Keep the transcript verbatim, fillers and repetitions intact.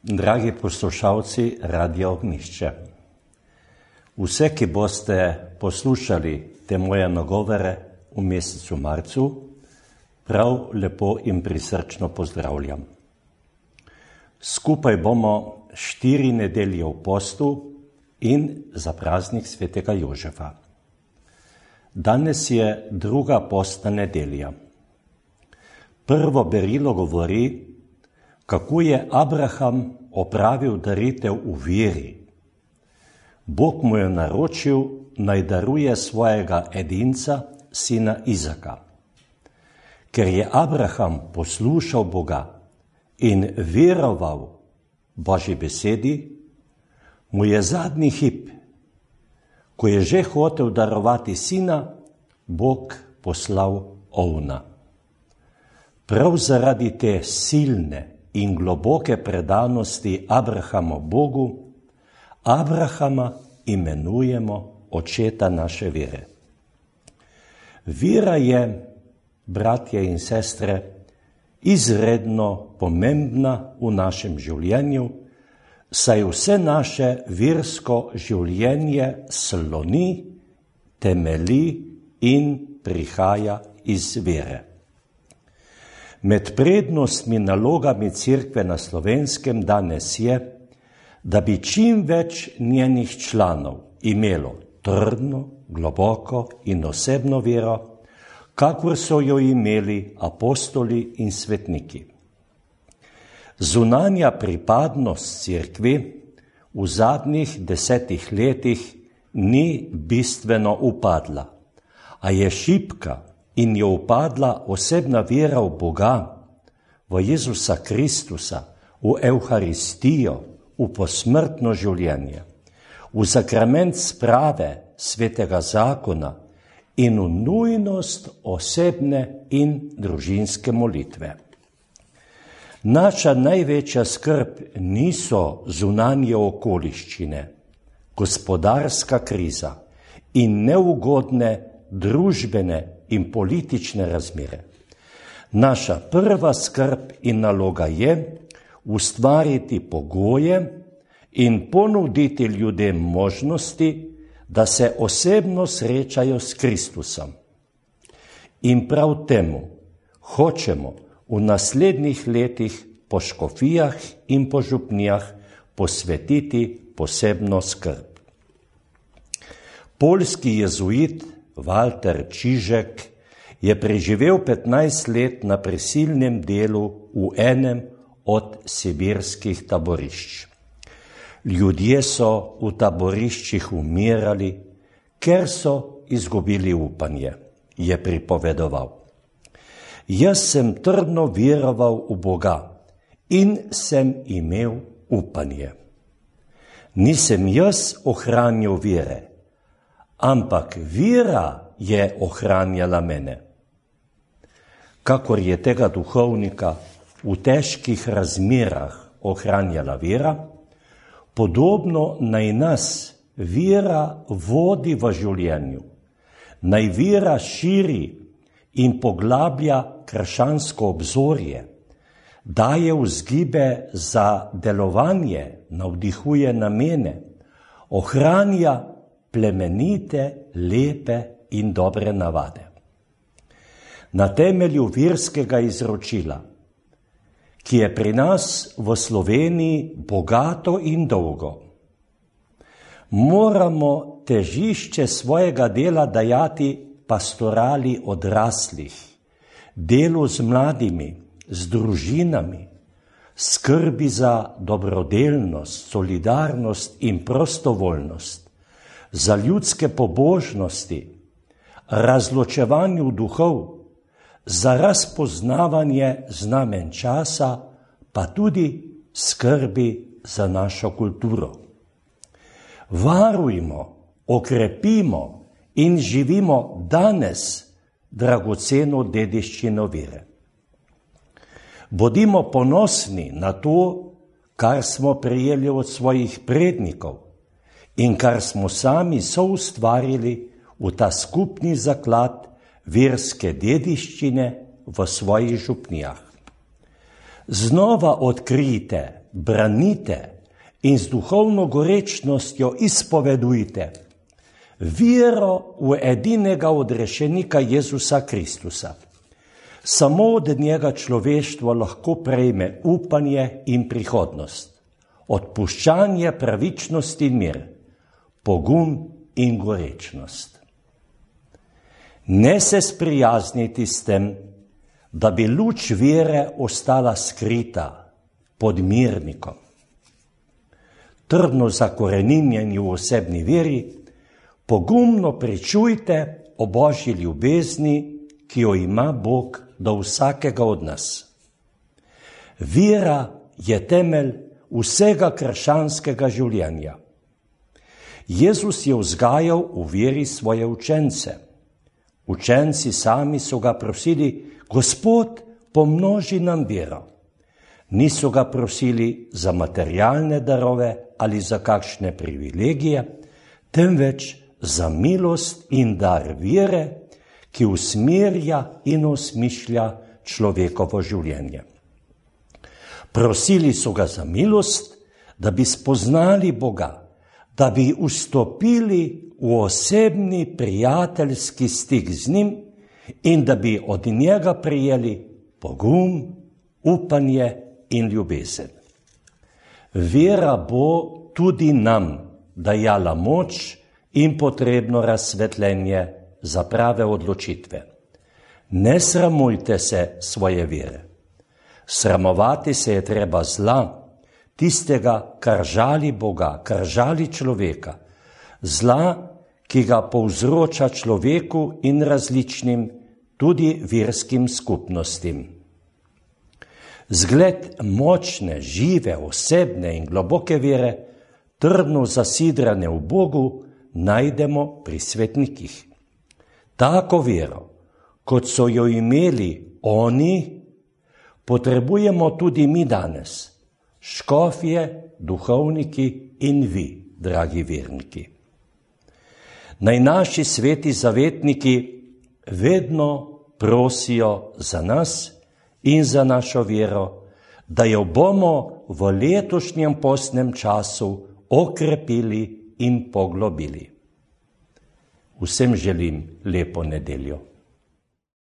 Dragi poslušalci Radia Ognjišče, vse, ki boste poslušali te moje nagovore v mesecu marcu, prav lepo in prisrčno pozdravljam. Skupaj bomo štiri nedelje v postu in za praznik svetega Jožefa. Danes je druga postna nedelja. Prvo berilo govori, kako je Abraham opravil daritev v veri. Bog mu je naročil, naj daruje svojega edinca, sina Izaka. Ker je Abraham poslušal Boga in veroval Božji besedi, mu je zadnji hip, ko je že hotel darovati sina, Bog poslal ovna. Prav zaradi te silne in globoke predanosti Abrahama Bogu, Abrahama imenujemo očeta naše vere. Vera je, bratje in sestre, izredno pomembna v našem življenju, saj vse naše versko življenje sloni, temelji in prihaja iz vere. Med prednostmi nalogami Cerkve na Slovenskem danes je, da bi čim več njenih članov imelo trdno, globoko in osebno vero, kakor so jo imeli apostoli in svetniki. Zunanja pripadnost Cerkvi v zadnjih desetih letih ni bistveno upadla, a je šibka in je upadla osebna vera v Boga, v Jezusa Kristusa, v Evharistijo, v posmrtno življenje, v sakrament sprave svetega zakona in v nujnost osebne in družinske molitve. Naša največja skrb niso zunanje okoliščine, gospodarska kriza in neugodne družbene in politične razmere. Naša prva skrb in naloga je ustvariti pogoje in ponuditi ljudem možnosti, da se osebno srečajo s Kristusom. In prav temu hočemo v naslednjih letih po škofijah in po župnijah posvetiti posebno skrb. Poljski jezuit Walter Čižek je preživel petnajst let na prisilnem delu v enem od sibirskih taborišč. Ljudje so v taboriščih umirali, ker so izgubili upanje, je pripovedoval. Jaz sem trdno veroval v Boga in sem imel upanje. Nisem jaz ohranil vere, ampak vera je ohranjala mene. Kakor je tega duhovnika v težkih razmerah ohranjala vera, podobno naj nas vera vodi v življenju, naj vera širi in poglablja krščansko obzorje, daje vzgibe za delovanje, navdihuje namene, ohranja plemenite, lepe in dobre navade. Na temelju verskega izročila, ki je pri nas v Sloveniji bogato in dolgo, moramo težišče svojega dela dajati pastorali odraslih, delu z mladimi, z družinami, skrbi za dobrodelnost, solidarnost in prostovoljnost, za ljudske pobožnosti, razločevanju duhov, za razpoznavanje znamen časa, pa tudi skrbi za našo kulturo. Varujmo, okrepimo in živimo danes dragoceno dediščino vere. Bodimo ponosni na to, kar smo prejeli od svojih prednikov in kar smo sami soustvarili v ta skupni zaklad verske dediščine v svojih župnijah. Znova odkrijte branite in z duhovno gorečnostjo izpovedujte vero v edinega odrešenika Jezusa Kristusa. Samo od njega človeštvo lahko prejme upanje in prihodnost, odpuščanje, pravičnost in mir, pogum in gorečnost. Ne se sprijazniti s tem, da bi luč vere ostala skrita pod mirnikom. Trdno zakoreninjeni v osebni veri, pogumno pričujte o Božji ljubezni, ki jo ima Bog do vsakega od nas. Vera je temelj vsega krščanskega življenja. Jezus je vzgajal v veri svoje učence. Učenci sami so ga prosili: Gospod, pomnoži nam vero. Niso ga prosili za materialne darove ali za kakšne privilegije, temveč za milost in dar vere, ki usmerja in osmišlja človekovo življenje. Prosili so ga za milost, da bi spoznali Boga, da bi vstopili v osebni prijateljski stik z njim in da bi od njega prijeli pogum, upanje in ljubezen. Vera bo tudi nam dajala moč in potrebno razsvetljenje za prave odločitve. Ne sramujte se svoje vere. Sramovati se je treba zla, tistega, kar žali Boga, kar žali človeka, zla, ki ga povzroča človeku in različnim, tudi verskim skupnostim. Zgled močne, žive, osebne in globoke vere, trdno zasidrane v Bogu, najdemo pri svetnikih. Tako vero, kot so jo imeli oni, potrebujemo tudi mi danes, škofje, duhovniki in vi, dragi verniki. Naj naši sveti zavetniki vedno prosijo za nas in za našo vero, da jo bomo v letošnjem postnem času okrepili in poglobili. Vsem želim lepo nedeljo.